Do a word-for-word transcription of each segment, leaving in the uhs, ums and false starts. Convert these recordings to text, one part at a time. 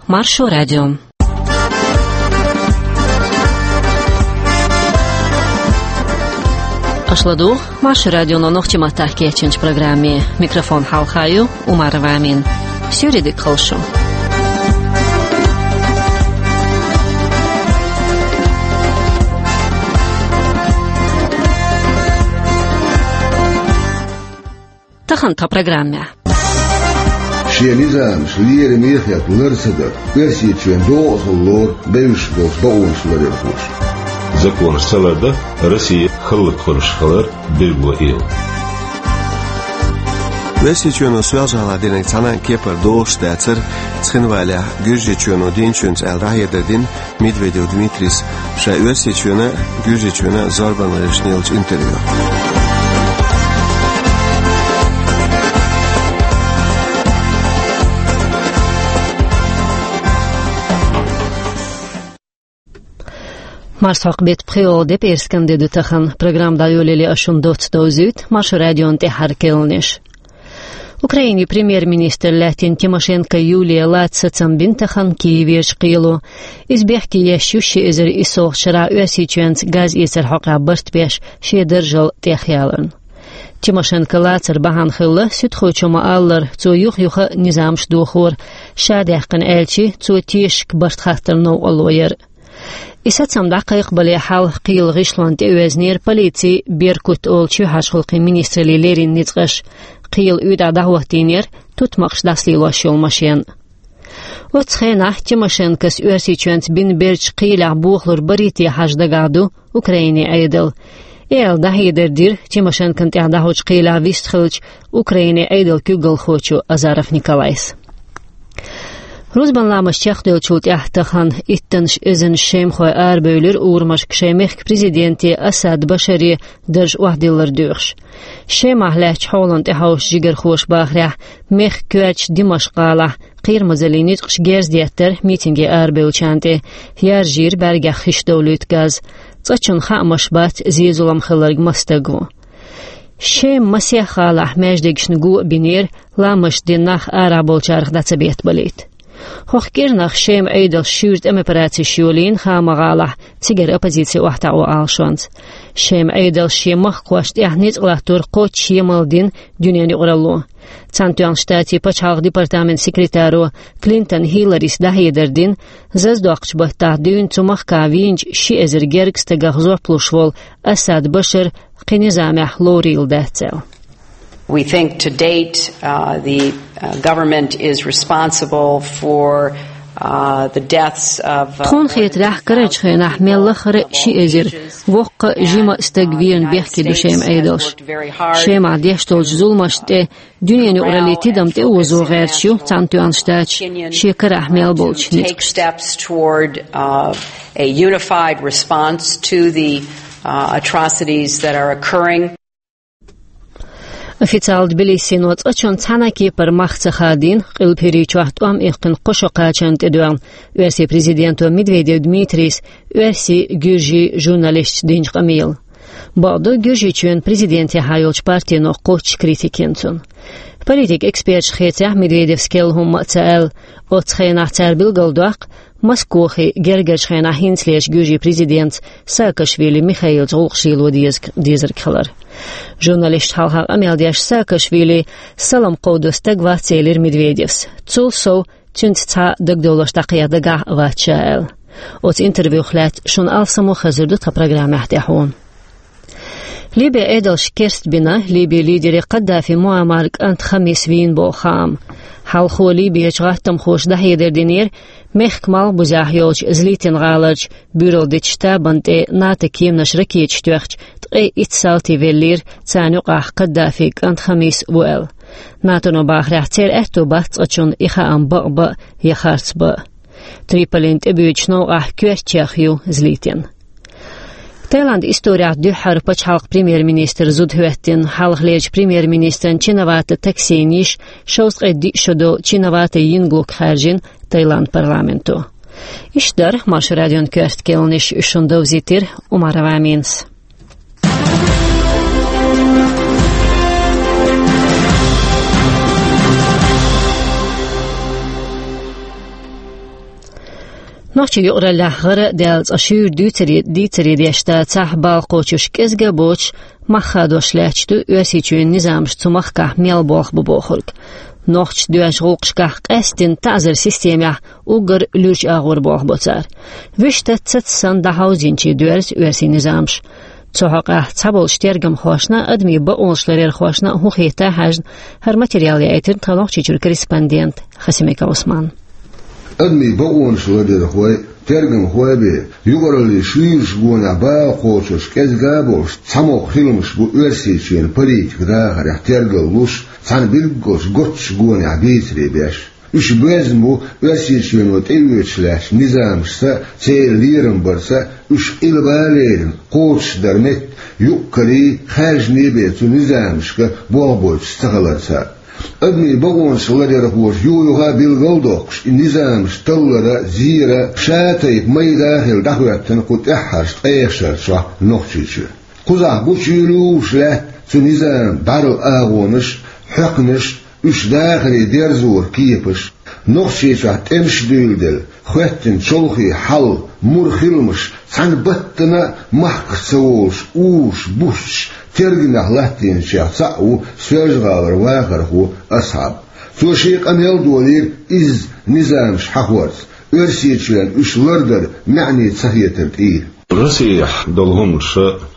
Маршо радио. Аша ладугӀу Маршо радионо нохчийн маттахь кечйинчу программе. Микрофон хьалха ю Умарова Амина. Суьйре дика хуьлда шун. Тахана тхан программехь. Шен низамаш лераме хетта лар ца дан, Оьрсийчоьнан догӀа хила лору бевзаш болчу бакъонаш ларъярхоша. Законаш ца лардан Россия хӀаллакьхуьлуш хилар билгало йилла. Оьрсийчоьно Соьлжа-ГӀалахь динарг цхьана а кепара догӀуш дацара Цхинвалехь Гуьржийчоьно динчуьнца аьлла дӀахьедар дина Медведев Дмитрийс ша Оьрсийчоьнан а, Гуьржийчоьнан а зорбанан лерашна еллачу интервьюхь. Марсхьокху беттан пхоьалгӀа де, пӀераскан де ду тахана. Программа дӀайолале ас шуна доцца довзуьйту Маршо радион тӀаьххьара керланаш. Украинин премьер-министр лаьттина Тимошенко Юлия лаца сацам бина тахана Киевера кхело. Иза бехке еш ю ши эзар иссалгӀачу шарахь Оьрсийчоьнца газ эцаран хьокъехь барт беш шен даржал тӀехъяларна. Тимошенко лацар бахьана хилла, суьдхочо ма-аллара, цо юха-юха низамаш дохора, ша даьккхина аьлчи, цо тешашка барт хаттаран новкъарло яра. И сацам дӀакхайкхабале хьалха кхелан гӀишлонна тӀеоьзнера полицин, Беркут олучу хьаьжкӀалгӀачу министраллин леррина ницкъаша. Кхелан уьйтӀахь дӀахӀоттийнера тутмакъаш дӀасалелош йолу машен. Оццу хенахь Тимошенкос Оьрсийчоьнца бина бердачу кхелехь бохалур барий те хьажа дагахь ду Украинин Ӏедал. И аьлла дӀахьедар дира Тимошенкона тӀехь дӀахьочу кхелехь вистхиллачу Украинин Ӏедалан куьйгалхочо Азаров Николайс. Рузбан ламаз чекхдевллачул тӀаьхьа тахана иттаннаш эзарнаш шемахой арабевлира урамашка шайн мехкан президенте Асад Башаре дарж охьадиллар доьхуш. Шемахь лаьттачу хьолана тӀехьовсучу жигархоша бахарехь, мехкан коьртачу Димашкъ-гӀалахь кхерамазаллин ницкъаша герз деттара митинге арабевллачарна тӀе, яржийра бӀаьргех хиш довлуьйту газ. Цкъачунна хаамаш бац, зен-зулам хилларг маса стаг ву. Шеман масех гӀалахь маьждигашна го а бинера, ламазаш дина нах арахь болчарах дӀа ца беттабалийта. ХӀокху кӀирнах Шеман Ӏедалша шуьйра тӀеман операцеш йолийна хааман гӀалахь, цигара оппозици охьатаӀо Ӏалашонца. Шеман Ӏедалша шен махкахошна тӀехь ницкъ латтор кхоччуш емал дина дуьненан юкъаралло. Цхьаьнатоьхначу Штатийн пачхьалкхан департаментан секретаро Клинтон Хилларис дӀахьедар дина, зазадоккхучу баттахь дуьйна цу махкахь вийначу ши эзар гергга стагах жоп луш волу Асад Башар кхин низамехь лорийла дац аьлла. We think to date, uh, the, uh, government is responsible for, uh, the deaths of, uh, Тхуна хетарехь, карарчу хенахь мел лаххара а ши эзар воккха а, жима а стаг верна бехке ду Шеман Ӏедалша. Шемахь деш долчу зуламашна тӀе дуьненан юкъараллин тидам тӀеозо гӀерташ ю Цхьаьнатоьхна Штаташ шен карахь мел болчу ницкъашца. Steps toward, uh, a unified response to the, uh, atrocities that are occurring. Официалан Тбилисино цкъачунна цхьана а кепара мах ца хадийна, Къилба ХӀирийчохь тӀом иккхина кхо шо кхачарна тӀедоьгӀна оьрсийн президенто Медведев Дмитрийс оьрсийн, гуьржийн журналисташца динчу къамелан. Бакъду, Гуьржийчоьнан президентехьа йолчу партино кхоччуш критика йина цунна. Политикан эксперташа хецахь, Медведевс керла хӀумма а ца аьлла. Оццу хенахь цара билгалдоккху, Москохе гергарчу хенахь хӀинцалерчу Гуьржийн президентца Саакашвили Михаилца гӀуллакхаш лело деза-, дезарг хилар. Журналисташна хьалха къамел деш, Саакашвили салам кховдо стаг вац элира Медведевс. Цул сов, цуьнца цхьа дагадовларш дӀакхехьа дагахь а вац ша аьлла. Оцу интервьюх лаьцна шуна алсамо хазар ду тхан программехь тӀаьхьо. Ливин Ӏедалша керстбина Ливин лидере Каддафи Муаммаран кӀант Хамис вийна боху хаам. Хьалхо Ливерчу гӀаттамхоша дӀахьедар динера, мехкан малхбузехь йолчу Злитин гӀаларчу буьйралла дечу штабан тӀе НАТО кеманаш ракеташ тоьхча, ткъе итт салти веллера, царна юкъахь Каддафин кӀант Хамис а ву аьлла. НАТОно бахарехь, церан аьтто бац цкъачунна и хаам бакъ бан а я харц бан а. Триполина тӀебуьйцучу новкъахь коьртачех ю Злитин. Таиландан исторехь дуьххьара пачхьалкхан премьер-министр зуда хӀоьттина. Хьалхалерчу премьер-министран Чинавата Таксина йиша шовзткъе диъ шо долу Чинавата Йинглук хаьржина Таиландан парламенто. Иштта дара Маршо радион коьрта керланаш, уьш шуна довзийтира Умарова Аминас. Нохчийн юкъараллехь гӀара а даьлла цкъа шуьйра дуьйцаре, дийцаре деш дацахь, бала кхочуш кӀезига а боцуш, мах хадош лаьтташ ду Оьрсийчоьнан низамаш цу махкахь мел болх бу бохург. Нохчаша доьзначу гӀуллакхашкахь къаьсттина таӀзар системехь уггар луьрачу агӀор болх бо цара. Вуьшта цаца санна дӀахьовзийначий доьрзу оьрсийн низамаш. Цу хьокъехь цхьаболчу тергамхошна а, адамийн бакъонаш ларъярхошна а хӀун хета хьаьжна, хӀара материал яийтина тхан Нохчийчуьра корреспондента Хасимиков Ӏусмана. Адамийн бакъонаш ларъярхой, тергамхой бен, юкъараллин шуьйрачу гонехь бала кхочурш кӀезига а болуш, цхьамогӀа хиламаш бу Оьрсийчоьнан политикан дахарехь тергаллуш, цхьана билггал гоччу гонехь бийцаре беш. Уьш боьзна бу Оьрсийчоьно тӀеоьцуш лаьттачу низамашца а, церан лерам барца а, уьш къилба а лерина, кхочушдар метта, юкъ-карий, хаьржиний бен цу низамашка болх бойтуш ца хиларца а. Адамийн бакъонаш ларъярхоша юха-юха а билгал а доккхуш, и низамаш таллара а, зийра а, ша тайпа майда а хилла дӀахӀоьттина кху тӀаьххьарчу ткъех шарчохь Нохчийчоь. Кхузахь гучуйолуш лаьтта цу низаман бӀаьрла агӀонаш а, хьоькхнаш а, уьш дахаре дерзоран кепаш а. Нохчийчохь тӀемаш а дуьйладелла, хӀоьттина чолхе хьал, мур хиламаш, цхьана баттана а махках ца волуш, уьш буьйцуш, тергамехь латтийначех цхьаъ ву Соьлжа-ГӀалара вахархо Асхьаб. Цо шен къамел а долийра изза низамаш хьахорца, Оьрсийчоьнна уьш лардар маьӀне ца хетар тӀера. Россехь долу хӀуманаш,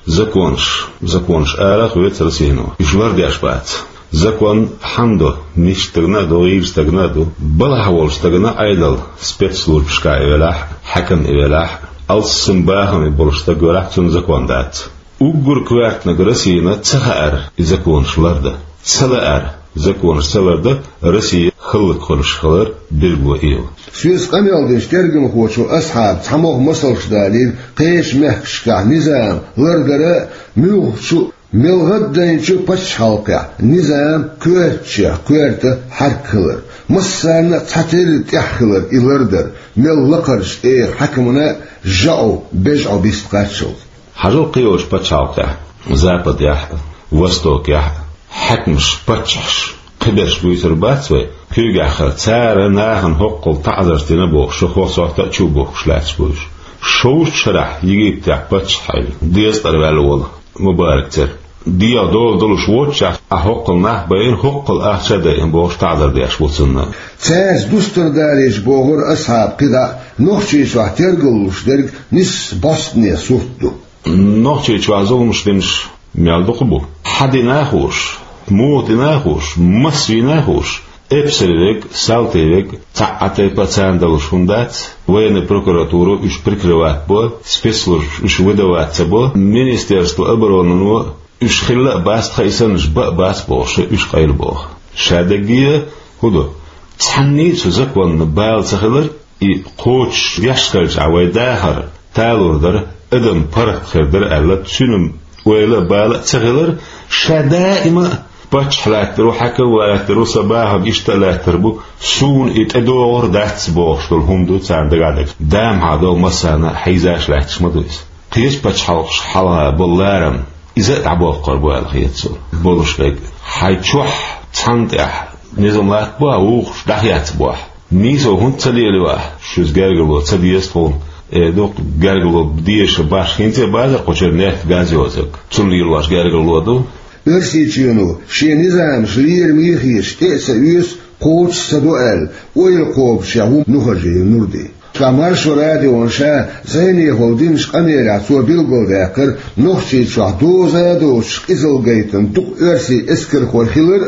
законаш, законаш арахь а хьоьцу Россино, уьш лардеш бац. Закон хьанна до, мисчу стагана а до, гӀийрачу стагана а до, балхахь волчу стагана а, Ӏедал спецслужбашкахь и велахь а, хьаькам и велахь а, алссам бахам и болуш стаг велахь а, цунна закон дац. Уггар коьртаниг Россина ца хаьара и законаш лардан, ца лаьара законаш ца лардан Россия хӀаллакьхуьлуш хилар билгало йолу. Соьца къамел динчу тергамхочо Асхьаба цхьамогӀа масалш далийра кхечу мехкашкахь низам лардара а, муьлххачу а, мел гӀаддайначу а пачхьалкхехь низам коьртачех коьрта хьаьрк хилар, массарна а цхьатерра тӀехь хилар и лардар, мел лакхарчу тӀера хьаькамна а жаӀу, бежӀу бист кхаччалц. Хьажал кхечу пачхьалкхехь, Западехь а, Востокехь а, хьаькамаш, паччахьаш кхиберш буьйцур бац вай, куьйгахь хилла, цара нахана хӀоккхул таӀзарш дина бохуш, хӀокху сохьта а чу а бухкуш лаьтташ бу уьш. Шовзткъа шарахь Египтехь паччахь хилла, дезткъара ваьлла волу Мубарак церан. ДегӀ дола долуш воццушехь, ахь хӀоккхул нах а байина, хӀоккхул ахча а дайина бохуш, таӀзар деш бу цунна. Цаьрца дустар далийча, бохура Асхьаба, кхидӀа а Нохчийчохь тергаллуш дерг нисса бӀостане сурт ду. Нохчийчохь зуламаш динарш мел дукха бу. Хьан дина а хууш, муха дина а хууш, маса вийна а хууш, эпсар верг, салти верг, цхьа а тайпа а царна далуш хӀума дац, военная прокуратура уьш прикрывать бо, спецслужбаш уьш выдавать ца бо, министерство обороны-но уьш хилла а бац, тхан и саннарш бан а бац бохуш, уьш къайлабоху. Ша дерриге а хӀун ду? Цхьанний а цу законна бала ца хилар, и кхочуш деш хилчахь вай дахар талор дара, адам паргӀат хир дара аьлла, цуьнан ойла а, бала а ца хилар, ша даима а паччахь лаьттар ву, хьаькам лаьттар ву, сан бахам иштта а лаьттар бу, суна и тӀедогӀур дац бохуш долу хӀума ду царна дагахь дерг. Дамхьа долу массарна а хьийзаш лаьтташ ма ду иза. Кхечу пачхьалкхашка хьалха болу ларам иза а дӀабоккхур бу аьлла хета суна. Болуш верг, хьайн чохь цхьанна тӀехь низам латтабо ахь, вукхуш дӀахецбо ахь. Нийсо хӀунда ца лелайо ахь, шуьца гергарло ца деза тхуна, эр ду-кх гергарло дезаш баш, хӀинца а базар кху чуьра нефть, газ йоцург. Цунна лелош гергарло ду. Оьрсийчоьно шен низамаш лераме хеташ тӀе а ца оьцу, кхочуш ца до аьлла, ойла кхобучехь ву Нухажиев Нурди. Ша Маршо радиона ша зӀенехула динчу къамелехь цо билгалдаьккхира, Нохчийчохь доза а доцуш къизалла гайтина дукха оьрсийн эскархой хилар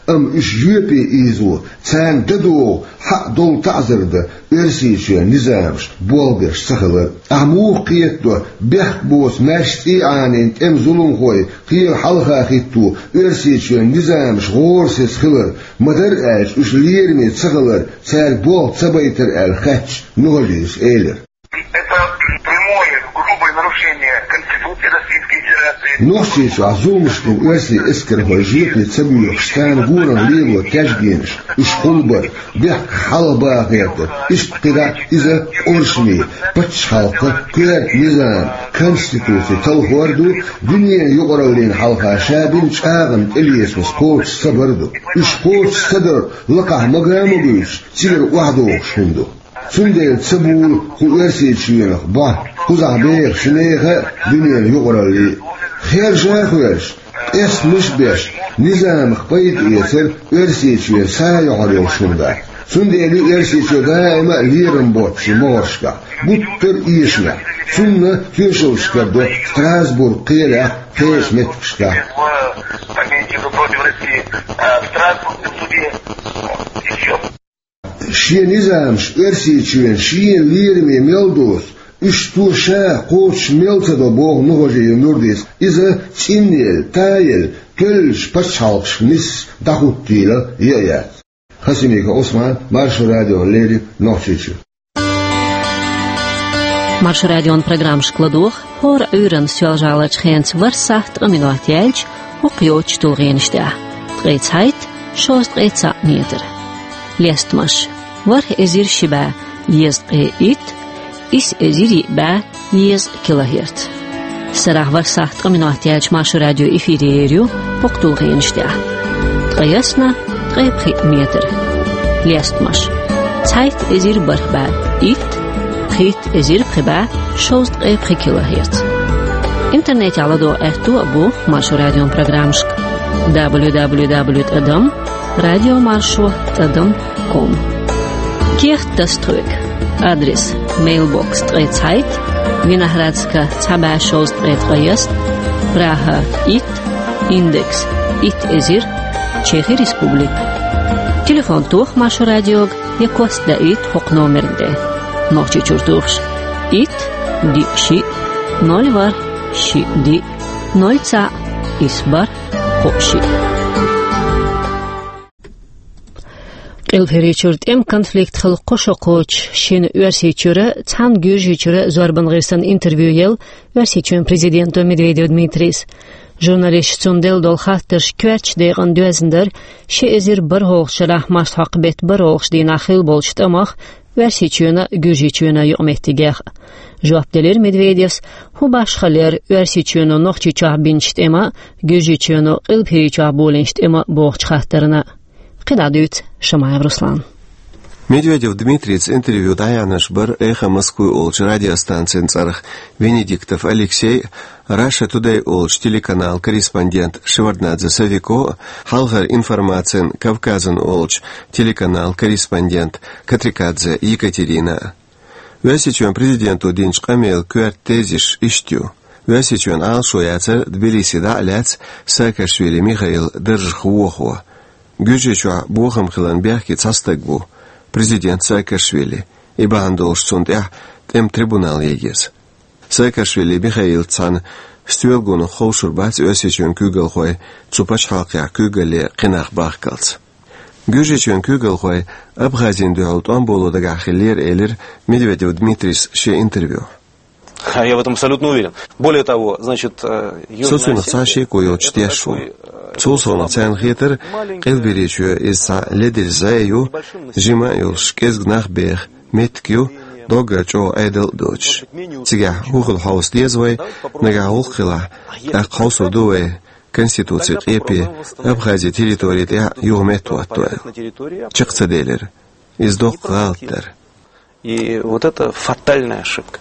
а, амма уьш жоьпе ийзо, царна дан догӀу, хьаъ долу таӀзар дан Оьрсийчоьнан низамаш болх беш ца хилар а. Ахь муха кхетадо, бехк боцу маьрша цӀий Ӏанийна тӀеман зуламхой кхела хьалха хӀитто Оьрсийчоьнан низамаш гӀорасиз хилар, ма-дарра аьлча уьш лераме ца хилар, цаьрга болх ца байтар аьлла хаьттича, Нухажиевс элира. Это прямое, грубое нарушение Конституции Российской Федерации. Нохчийчохь зуламаш дина оьрсийн эскархой жоьпе ца боьхуш, царна гонах лело тешнабехкаш, уьш хулбар, бехк хьалхабаха гӀерта, иштта кхидӀа а иза къуршаме, пачхьалкхан коьрта низам, конституци талхор ду, дуьненан юкъараллина хьалха ша бина чӀагӀанна тӀелецамаш кхочуш ца бар ду. Уьш кхочуш ца дар лакхахь мага а ма буьйцуш, цигара охьадогӀуш хӀума ду. Цундела ца буьйлу кху Оьрсийчоьнах бо, кхузахь бехаш нехан а, дуьненан юкъараллин а. Хержа а хоьржуш, къестамаш а беш, низамах пайда эцар Оьрсийчоьнан сагӀа йохьур йолуш хӀума дац. Цундела ю Оьрсийчоь даима а лерам боццуш могӀаршкахь, гуттар а эшамехь. Цунна тоьшаллаш карадо Страсбург кхелехь, кхечу меттигашкахь. Шен низамаш Оьрсийчоьнан шен лераме мел доцу, уьш цо ша кхочуш мел ца до, боху Нухажиев Нурдис. Иза цӀинъелла, таелла, кхоьллинчу пачхьалкхашка нисса дӀахӀуттийла яа яц. Хасимиков Ӏусман, Маршо радиона леррина, Нохчийчоь. Маршо радион программашка ладогӀа хӀора Ӏуьйранна Соьлжа-ГӀаларчу хенца ворхӀ сахьт ткъа минот яьлча, хӀокху йоцучу тулгӀенаш тӀехь: ткъе цхьайтта, шовзткъе цхьаъ метр. Лестамаш: ворхӀ эзар ши бӀе езткъе итт, исс эзар йиъ бӀе езткъа килогерц. Сарахь ворхӀ сахьт ткъа минот яьлча Маршо радио эфире ер ю хӀокху тулгӀенаш тӀехь: ткъайесна, ткъе пхиъ метр. Лестамаш: цхьайтта эзар бархӀ бӀе итт, пхийтта эзар пхи бӀе шовзткъе пхи килогерц. Интернетехь ладогӀа аьтто а бу Маршо радион программашка: дабл ю дабл ю дабл ю тӀадам радиомаршо тӀадам ком. Кехат таса тхоьга. Адрес: мейлбокс ткъе цхьайтта, Виноградска цхьа бӀе шовзткъе ткъайесна, Прага итт, индекс итт эзар, Чехи Республика. Телефон тоха Маршо радиога я кост даийта хӀокху номерна тӀе. Нохчийчуьра тухуш: итт, диъ, шиъ, ноль, ворхӀ, шиъ, диъ, ноль, цхьаъ, исс, бархӀ, кхоъ, шиъ. Къилбаседа чуьра тӀеман конфликт хилла кхо шо кхочуш, шина Оьрсийчуьра, цхьана Гуьржийчуьра зорбан гӀирсана интервью елла Оьрсийчоьнан президенто Медведев Дмитрийс. Журналисташа цунна делла долу хаттарш коьртачу декъана доьзна дара ши эзар бархӀалгӀачу шарахь марсхьокху беттан бархӀалгӀачу дийнахь хилла болчу тӀамах Оьрсийчоьнан а, Гуьржийчоьнан а юкъаметтигех. Жоп делира Медведевс, хӀун башхалла яра Оьрсийчоьно Нохчийчохь бинчу тӀеман а, Гуьржийчоьно Къилбаседа чохь болийначу тӀеман а бохучу хаттарна. КхидӀа дуьйцу Шамаев Руслана. Медведев Дмитрийца интервью дӀаяьхьнарш бара «Эхо Москвы» олучу радиостанцин цӀарах Венедиктов Алексей а, Russia Today олучу телеканалан корреспондент Шеварднадзе Сафико а, хьалхара информацин «Кавказан» олучу телеканалан корреспондент Катрикадзе Екатерина а. Оьрсийчоьнан президенто динчу къамелан коьрта тезисаш иштта ю: Оьрсийчоьнан Ӏалашо яцара Тбилиси дӀа а лаьцна Саакашвили Михаил даржах вохо. Гуьржийчохь бохам хиларна бехке цхьа стаг ву, президент Саакашвили, и бахьана долуш цунна тӀехь тӀеман трибунал ян еза. Саакашвили Михаилца цхьаьна стоьлгонах ховшур бац Оьрсийчоьнан куьйгалхой цу пачхьалкхехь куьйгалле кхин нах бахкалц. Гуьржийчоьнан куьйгалхой Абхазина дуьхьал тӀом боло дагахь хиллера, элира Медведев Дмитрийс шен интервьюхь. Я в этом абсолютно уверен. Более того, значит, э, Со Южная цунах цхьа а Осетия — шеко йоцуш это тешаш ву. Такой, э, Цул совнаха царна хетара, Къилбаседа чоь иза цхьа ледара зӀе ю, жима а йолуш, кӀезиг нах беха меттиг ю, доггара чӀогӀа Ӏедал а доцуш. Цигахь хӀун хила хьовса деза вай, нагахь гӀуллакх хилахь, тӀаккха хьовсур ду вай конституцин къепе Абхазин территори тӀехь юха меттахӀотто аьлла. Чекх ца делира. Иза доккха гӀалат дара. И вот это фатальная ошибка.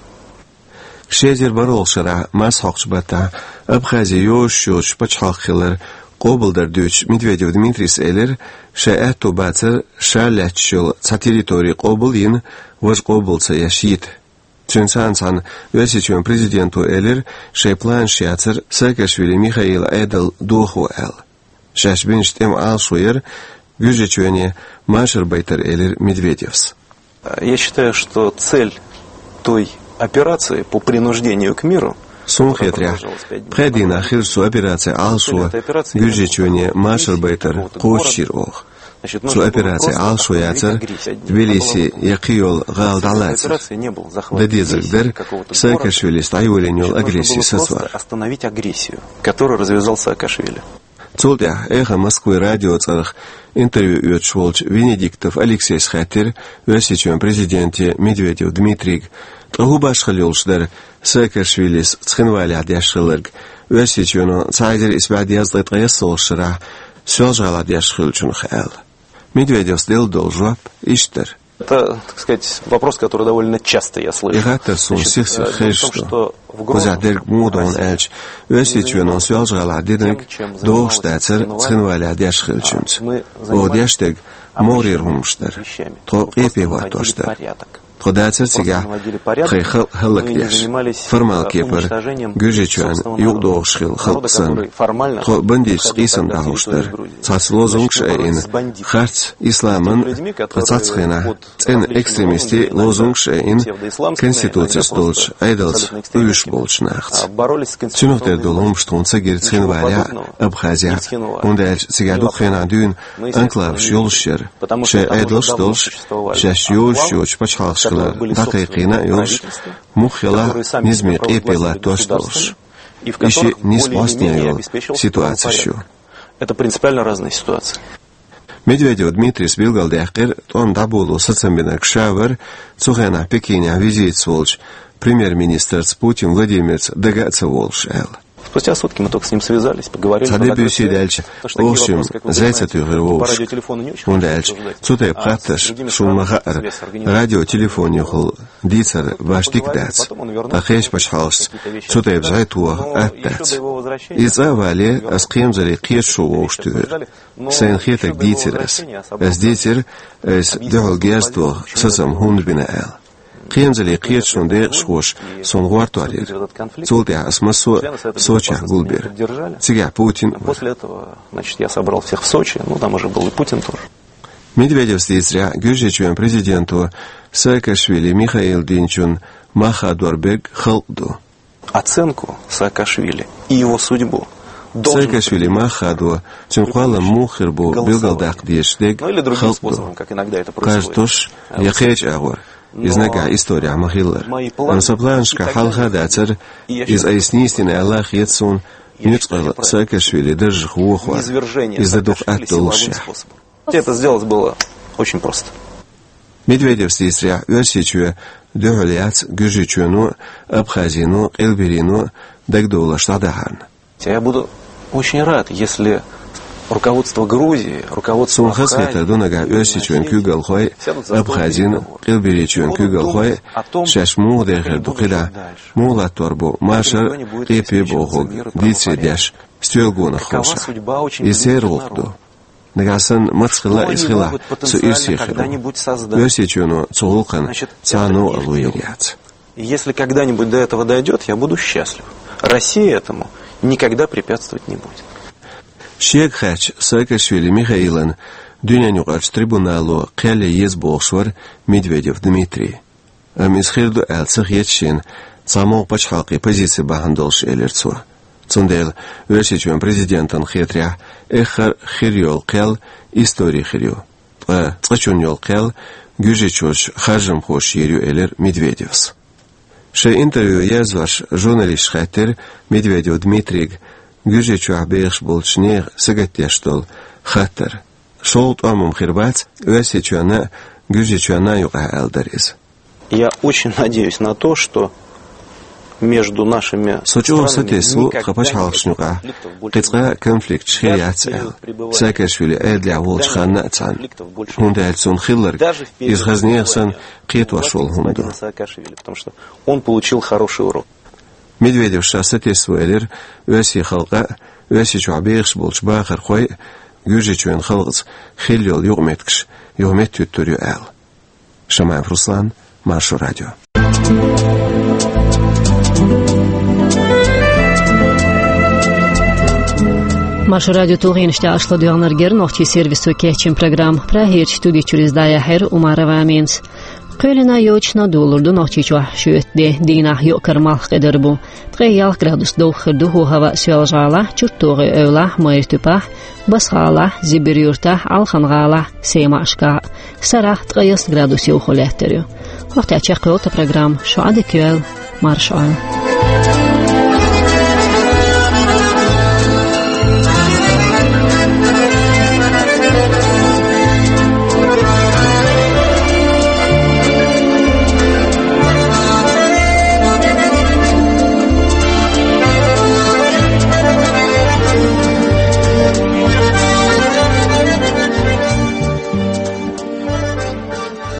Ши эзар бархӀалгӀачу шарахь марсхьокхучу баттахь Абхази йозуш йоцуш пачхьалкх хилар къобалдар дуьйцуш, Медведев Дмитрийс элира, шайн аьтто бацара ша лаьтташ йолу цхьа территори къобал а йина, важа къобал ца еш йита. Цуьнца цхьаьна Оьрсийчоьнан президенто элира, шайн планаш яцара Саакашвили Михаилан Ӏедал дохо аьлла. Шаьш бинчу тӀеман Ӏалашо яра Гуьржийчоьне машар байтар, элира Медведевс. Я считаю, что цель той операции по принуждению к миру, Суна хетарехь, пхи дийнахь хиллачу цу операцин Ӏалашо Гуьржийчоьне машар байтар кхочушйира оха. Цу операцин Ӏалашо яцара Тбилиси я кхин йолу гӀала дӀалацар. Дан дезарг дара Саакашвилис дӀайолийна йолу агресси сацор. Остановить агрессию, которую развязал Саакашвили. Цул тӀаьхьа «Эхо Москвы» радион цӀарах интервью оьцуш волчу Венедиктов Алексейс хаьттира Оьрсийчоьнан президенте Медведев Дмитрийга, ткъа хӀун башхалла йолуш дара Саакашвилис Цхинвалехь деш хилларг, Оьрсийчоьно цхьа эзар исс бӀе дезткъе ткъайоьсналгӀачу шарахь Соьлжа-ГӀалахь деш хиллачунах аьлла. Медведевс делла долу жоп иштта дара. Это, так сказать, вопрос, который довольно часто я слышу. И хаттар суна сих-сиха хезаш да. Кхузахь дерг муха да аьлча, Оьрсийчоьно Соьлжа-ГӀалахь динарг догӀуш дацар цхьана вале деш хилчунца. Оха деш дерг могӀарера хӀумаш дара. Тхо къепе хӀоттош дара. Тхо дацар цигахь тхоай халкъ хӀаллакдеш, формал кепара Гуьржийчоьнна юкъадогӀуш хилла халкъ санна. Тхо бандиташца къийсам дӀахьош дара. Цхьацца лозунгаш а айина, харц исламан, тхо цхьацца хенахь цӀена экстремистийн лозунгаш а айина, конституцеца долчу Ӏедалца уьйш болчу нахаца. Цунах тера долу хӀумаш тхуна ца гира цхьана вале а, Абхазехь а, хӀунда аьлча цигахь дукха хенахь дуьйна анклаваш йолуш яра. Шайн Ӏедалш а долуш, шаьш йолуш йоцчу пачхьалкхашкара дӀакхайкхийна а йолуш, муха хилахь а низаме къепе латтош а долуш. И шиъ нийса бӀостанехьа йолу ситуацеш ю. Это принципиально разные ситуации. Медведев Дмитрийс билгалдаьккхира, тӀом дӀаболо сацам бинарг ша вара, цу хенахь Пекинехь визитаца волчу премьер-министрца Путин Владимирца дага а ца волуш аьлла. Спустя сутки мы только с ним связались, поговорили. Цхьа де-буьйса даьлча, оха шимма зӀе ца туьйхира вовшашка. ХӀунда аьлча цу тайпа хаттарш шуна ма хаьара, радиотелефонехула дийцар башха дика дац. Ткъа кхечу пачхьалкхашца цу тайпа зӀе тоха атта дац. Иза цӀа а вале, ас кхерамзаллин кхеташо вовшахтуьйхира. Сайна хетарг дийцира ас. Ас дийцира, ас дуьхьал герз тоха сацам хӀунда бина аьлла. Кхерамзаллин кхеташонан декъашхоша суна гӀортор йира. Цул тӀаьхьа ас массо а Сочехь гулбира. Цигахь Путин а вара. После этого, значит, я собрал всех в Сочи, ну, там уже был и Путин тоже. Медведевс дийцарехь, Гуьржийчоьнан президенто Саакашвили Михаила динчун мах хадор берг халкъ ду. Оценку Саакашвили и его судьбу должен... Саакашвили мах хадо, цуьнан кхоллам муха хир бу билгалдаккха дезаш дерг халкъ ду. Кхаж тосуш я кхечу агӀор, иза нагахь исторехь ма-хиллара. Амма сан планашкахь хьалха а дацара, иза айса нийса дина аьлла а хета суна, нуьцкъала Саакашвили даржах вохор. Иза дан дукха атта доллушехь. Это сделать было очень просто. Медведевс дийцарехь, Оьрсийчоь дуьхьал яц Гуьржийчоьно, Абхазино, Къилберийно дагадовларш дӀадахьарна. Я буду очень рад, если руководство Грузии, руководство... Суна хазахетар ду нагахь Оьрсийчоьнан куьйгалхой, Абхазин, Къилберийчоьнан куьйгалхой шаьш муха дер хир ду кхидӀа, муха латтор бу машар, къепе бохург дийцаре деш, стоьла гонах ховшахь. Иза церан гӀуллакх ду. Нагахь санна маца хилла а иза хилахь, со ирсе хир ву. Оьрсийчоьно цу гӀуллакхана цхьа а новкъарло йийр яц. И если когда-нибудь до этого дойдёт, я буду счастлив. Россия этому никогда препятствовать не будет. Шега хаьттича, Саакашвили Михаилан дуьненаюкъарчу трибунало кхел ян еза бохуш вара Медведев Дмитрий. Амма иза хир ду аьлла ца хета шена цхьа могӀа пачхьалкхийн позици бахьана долуш, элира цо. Цундела Оьрсийчоьнан президентана хетарехь, эххар а хир йолу кхел истори хир ю. Ткъа цкъачунна йолу кхел гуьржийчоьнан харжамхоша йийр ю, элира Медведевс. Шайн интервью язъеш журналисташа хаьттира Медведев Дмитрийга Гуьржийчохь бехаш болчу нехан сагатдеш долу хаттар. ШолгӀа тӀом-м хир бац Оьрсийчоьнна а, Гуьржийчоьнна а юкъахь, аьлла дара иза. Я очень надеюсь на то, что между нашими... Со чӀогӀа сатесна ву тхан пачхьалкхашна юкъахь кхин цкъа а конфликташ хир яц аьлла, Саакашвили Ӏедалехь волчу ханна а цхьаьна, хӀунда аьлча цунна хилларг иза хаза нехан санна кхетош волу хӀума ду. Потому что он получил хороший урок. Медведевс ша сатесна ву элира, оьрсийн халкъан а, Оьрсийчохь бехаш болчу бахархойн а Гуьржийчоьнан халкъаца хилла йолу юкъаметтигаш юха меттахӀуьттур ю аьлла. Шамаев Руслан, Маршо радио. Маршо радион тулгӀенаш тӀехь аша ладоьгӀнарг яра нохчийн сервисо кечйина программа. Прагерчу студи чуьра иза дӀаяьхьира Умарова Аминас. Кхоьлина йоцашна долалур ду Нохчийчохь шоьтан де, дийнахь юкъара малх кхедар бу. Ткъе ялх градус довха хир ду хӀаваъ Соьлжа-ГӀалахь, ЧуртогӀи-Эвлахь, Майра-Туьппахь, Басса-ГӀалахь, Зибир-Юьртахь, Ӏалхан-ГӀалахь, Сема-Ӏашкахь а. Сарахь ткъе ялх градус йовха лаьттар ю. ХӀокху тӀехь чекхйолу тхан программа. Шу Ӏадика йойла, марша Ӏойла.